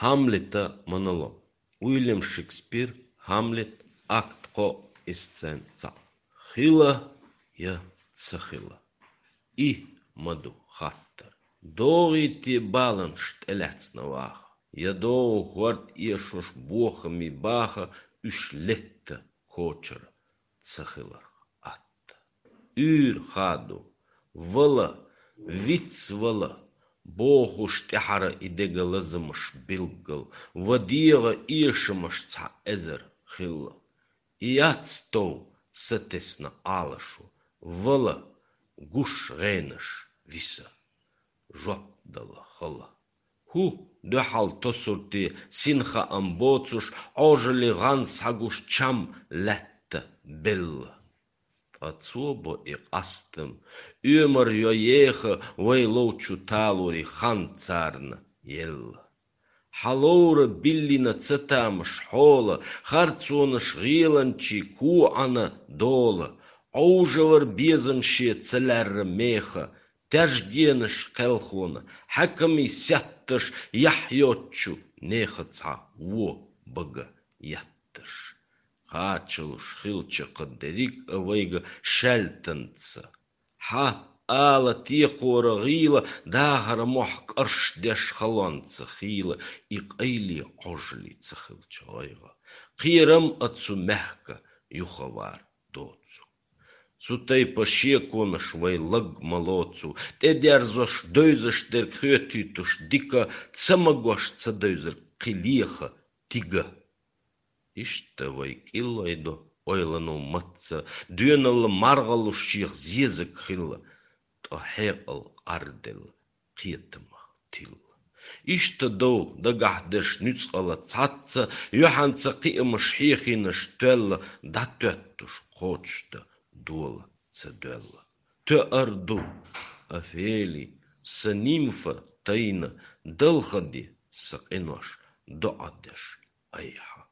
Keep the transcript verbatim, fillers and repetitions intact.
Хамлета монолог. Уильям Шекспир, Хамлет, акт кхо, сцена цхьаъ. Хила е ца хила. И ма ду хаттар. ДогӀий те баланаш тӀелаьцна ваха, е догӀу хӀорд эшош бохамий баха, уьш летта кочара ца хиларх атта. Уьйр хадо, вала, вицвала, бохуш тӀехьара и дега лазамаш билггал, ва дегӀа эшамаш цхьа эзар хилла. И яц тов сатесна Ӏалашо, вала, гуш гӀенаш виса, жоп дала хала. ХӀу, дуьхьал тосурте, син хаам боцуш, Ӏожалли гӀан схьагуш чам лаьтта белла. Ткъа цо бо и къастам, оьмар йо еха вай ловчу талури хан царна елла. Хьаловра биллина ца тамаш хьола, харцонаш гӀеланчий коӀана дола, Ӏовжавар безам ше ца лаьрра меха, тяжгенаш кхелхона, хьаькамий сетташ яхь йоцчу неха цхьа во бага етташ. Кхачалуш хилча кхы дерриг а вайга шаьлтанца. Хьа, ала текхора гӀийла, дахара мохь къарш деш халонца хийла, и къайле Ӏожалли ца хилча гӀайгӀа. Кхерам а цу мехка юхавар доцу. Цу тайпа шеконаш вай лаг ма лоцу, тӀедерзош, девзаш дерг хоьтуьйтуш дика, ца магош ца девзар кхин леха тига. Иштта вай кӀиллой до ойланал мацца, доьналла маргӀаллуш шех зезаг хилла, ткъа хьекъал къарделла, кхетамах тилла. Иштта дов дагахь деш нуьцкъала цхьацца, юьхьанца кхиамаш хьехийнаш тоьлла, дӀатоьттуш кхочушда дола ца доьлла. Тоьар ду, Офели, са нимфа тайна, далха де са къинош доӀа деш айхьа.